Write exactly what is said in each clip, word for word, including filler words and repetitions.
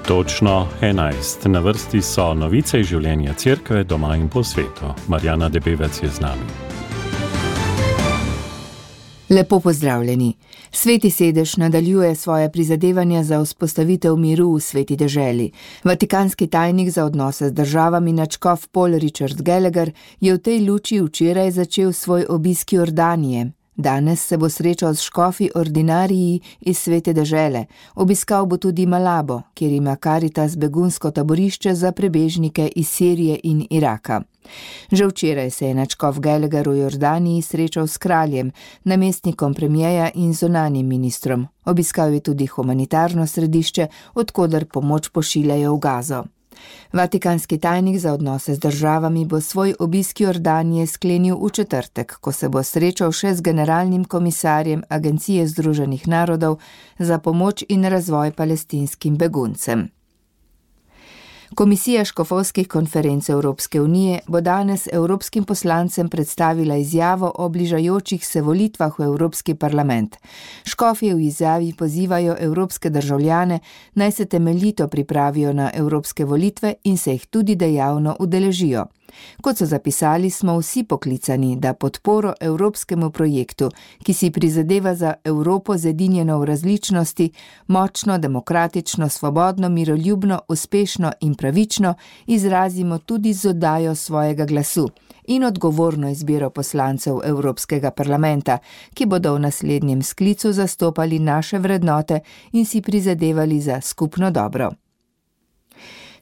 Točno enajst. Na vrsti so novice iz življenja cerkve doma in po svetu. Marjana Debevec je z nami. Lepo pozdravljeni. Sveti sedež nadaljuje svoje prizadevanja za vzpostavitev miru v sveti deželi. Vatikanski tajnik za odnose z državami nadškof Paul Richard Gallagher je v tej luči včeraj začel svoj obisk Jordanije. Danes se bo srečal s škofi ordinariji iz svete dežele. Obiskal bo tudi Malabo, kjer ima Caritas begunsko taborišče za prebežnike iz Sirije in Iraka. Že včeraj se je nadškof Gallagher v Jordaniji srečal s kraljem, namestnikom premijeja in zunanjim ministrom. Obiskal je tudi humanitarno središče, od koder pomoč pošiljajo v Gazo. Vatikanski tajnik za odnose z državami bo svoj obisk Jordanije sklenil v četrtek, ko se bo srečal še z generalnim komisarjem Agencije Združenih narodov za pomoč in razvoj palestinskim beguncem. Komisija škofovskih konferenc Evropske unije bo danes evropskim poslancem predstavila izjavo o bližajočih se volitvah v Evropski parlament. Škofje v izjavi pozivajo evropske državljane, naj se temeljito pripravijo na evropske volitve in se jih tudi dejavno udeležijo. Kot so zapisali, smo vsi poklicani, da podporo evropskemu projektu, ki si prizadeva za Evropo zedinjeno v različnosti, močno, demokratično, svobodno, miroljubno, uspešno in pravično, izrazimo tudi z oddajo svojega glasu in odgovorno izbiro poslancev Evropskega parlamenta, ki bodo v naslednjem sklicu zastopali naše vrednote in si prizadevali za skupno dobro.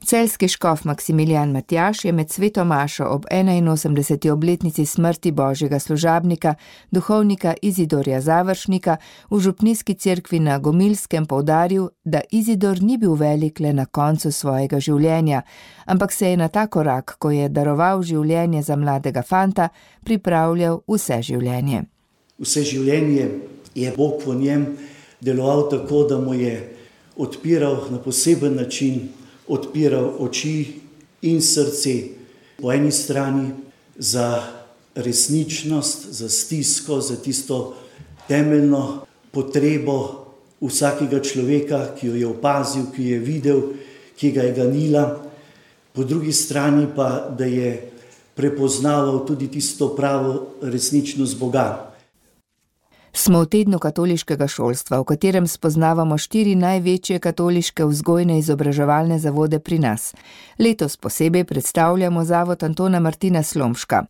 Celjski škof Maksimilijan Matjaž je med sveto mašo ob enainosemdeseti obletnici smrti božjega služabnika, duhovnika Izidorja Završnika, v župnijski cerkvi na Gomilskem poudaril, da Izidor ni bil velik le na koncu svojega življenja, ampak se je na ta korak, ko je daroval življenje za mladega fanta, pripravljal vse življenje. Vse življenje je Bog v njem deloval tako, da mu je odpiral na poseben način, odpiral oči in srce po eni strani za resničnost, za stisko, za tisto temeljno potrebo vsakega človeka, ki jo je opazil, ki jo je videl, ki ga je ganila. Po drugi strani pa, da je prepoznaval tudi tisto pravo resničnost Boga. Smo v tednu katoliškega šolstva, v katerem spoznavamo štiri največje katoliške vzgojne izobraževalne zavode pri nas. Letos posebej predstavljamo zavod Antona Martina Slomška.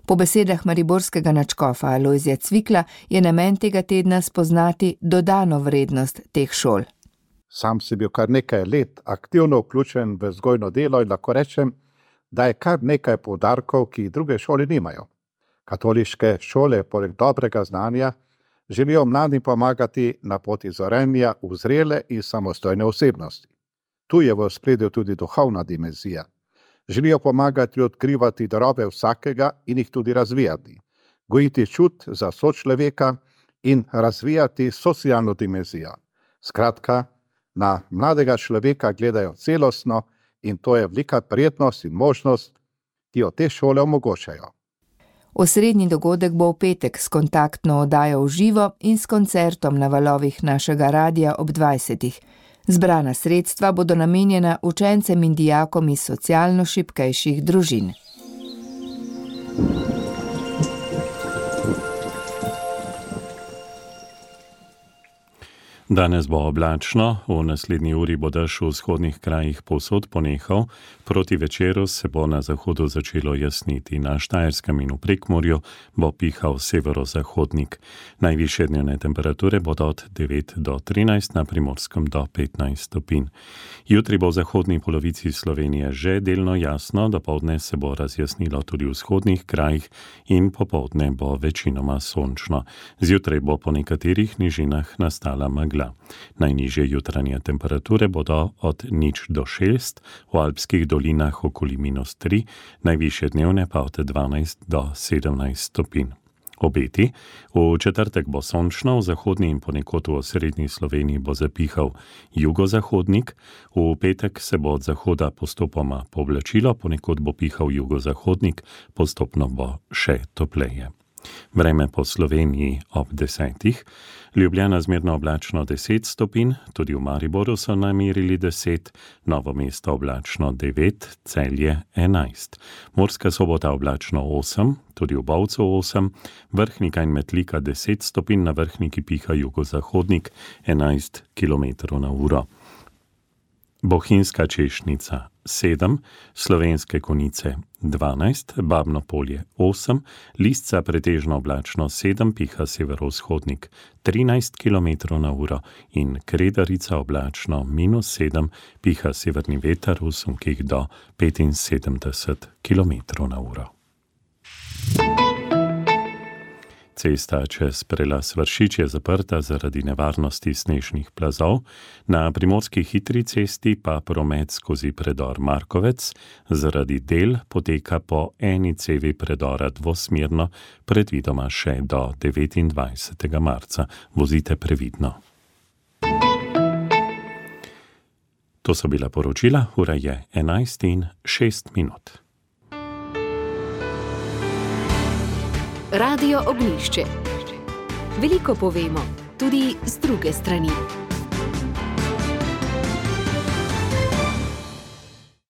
Po besedah mariborskega nadškofa Alojzija Cvikla je namen tega tedna spoznati dodano vrednost teh šol. Sam sem bil kar nekaj let aktivno vključen v vzgojno delo in lahko rečem, da je kar nekaj poudarkov, ki druge šole nimajo. Katoliške šole, poleg dobrega znanja, želijo mladim pomagati na poti zorenja v zrele in samostojne osebnosti. Tu je v ospredju tudi duhovna dimenzija. Želijo pomagati odkrivati darove vsakega in jih tudi razvijati, gojiti čut za sočloveka in razvijati socialno dimenzijo. Skratka, na mladega človeka gledajo celostno in to je velika prijetnost in možnost, ki jo te šole omogočajo. Osrednji dogodek bo v petek s kontaktno oddajo v živo in s koncertom na valovih našega radia ob dvajsetih. Zbrana sredstva bodo namenjena učencem in dijakom iz socialno šibkejših družin. Danes bo oblačno, v naslednji uri bo dež v vzhodnih krajih povsod ponehal, proti večeru se bo na zahodu začelo jasniti. Na Štajerskem in v Prekmurju bo pihal severozahodnik. Najvišje dnevne temperature bodo od devet do trinajst, na Primorskem do petnajst stopinj. Jutri bo v zahodni polovici Slovenije že delno jasno, dopoldne se bo razjasnilo tudi v vzhodnih krajih in popoldne bo večinoma sončno. Zjutraj bo po nekaterih nižinah nastala megla. Najnižje jutranje temperature bodo od nič do šest, v alpskih dolinah okoli minus tri, najvišje dnevne pa od dvanajst do sedemnajst stopinj. Obeti. V četrtek bo sončno, v zahodni in ponekod v osrednji Sloveniji bo zapihal jugozahodnik, v petek se bo od zahoda postopoma povlačilo, ponekod bo pihal jugozahodnik, postopno bo še topleje. Vreme po Sloveniji ob desetih, Ljubljana zmerno oblačno deset stopinj, tudi v Mariboru so namerili deset, Novo mesto oblačno devet, Celje enajst. Murska Sobota oblačno osem, tudi v Bovcu osem, Vrhnika in Metlika deset stopinj, na Vrhniki piha jugozahodnik enajst kilometrov na uro. Bohinjska Češnica sedem, Slovenske Konjice dvanajst, Babno Polje osem, Lisca pretežno oblačno sedem, piha severovzhodnik trinajst kilometrov na uro in Kredarica oblačno minus sedem, piha severni veter v sunkih do petinsedemdeset kilometrov na uro. Cesta čez prelaz Vršič je zaprta zaradi nevarnosti snežnih plazov, na primorski hitri cesti pa promet skozi predor Markovec zaradi del poteka po eni cevi predora dvosmerno, predvidoma še do devetindvajsetega marca. Vozite previdno. To so bila poročila, ura je enajst in šest minut. Radio Ognjišče. Veliko povemo, tudi z druge strani.